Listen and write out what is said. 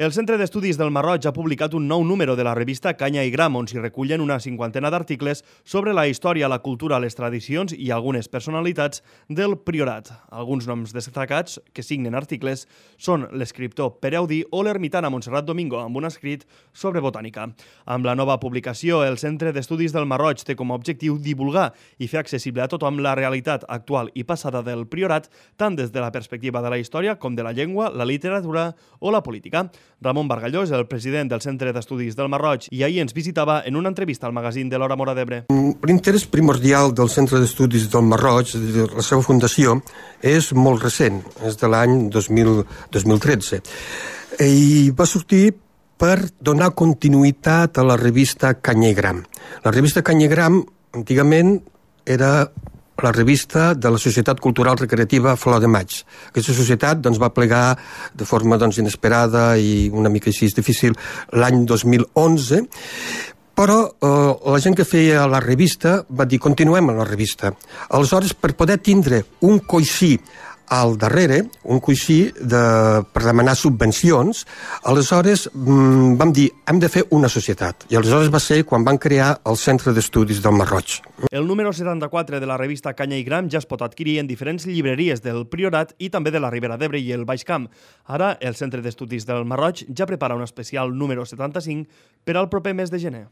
El Centre d'Estudis del Marroig ha publicat un nou número de la revista Canya i Gram, on s'hi recullen una cinquantena d'articles sobre la història, la cultura, les tradicions i algunes personalitats del Priorat. Alguns noms destacats que signen articles són l'escriptor Pere Audí o l'ermitana Montserrat Domingo, amb un escrit sobre botànica. Amb la nova publicació, el Centre d'Estudis del Marroig té com a objectiu divulgar i fer accessible a tothom la realitat actual i passada del Priorat, tant des de la perspectiva de la història com de la llengua, la literatura o la política. Ramon Bargalló és el president del Centre d'Estudis del Marroig i ahir ens visitava en una entrevista al magazín de l'Hora Móra d'Ebre. L'interès primordial del Centre d'Estudis del Marroig, de la seva fundació, és molt recent, és de l'any 2013. I va sortir per donar continuïtat a la revista Canya i Gram. La revista Canya i Gram, antigament, era la revista de la Societat Cultural Recreativa Flor de Maig. Aquesta societat va plegar de forma inesperada i una mica així difícil l'any 2011, però la gent que feia la revista va dir continuem amb la revista. Aleshores, per poder tindre un coixí al darrere, un coixí per demanar subvencions, aleshores vam dir hem de fer una societat. I aleshores va ser quan van crear el Centre d'Estudis del Marroig. El número 74 de la revista Canya i Gram ja es pot adquirir en diferents llibreries del Priorat i també de la Ribera d'Ebre i el Baix Camp. Ara, el Centre d'Estudis del Marroig ja prepara un especial número 75 per al proper mes de gener.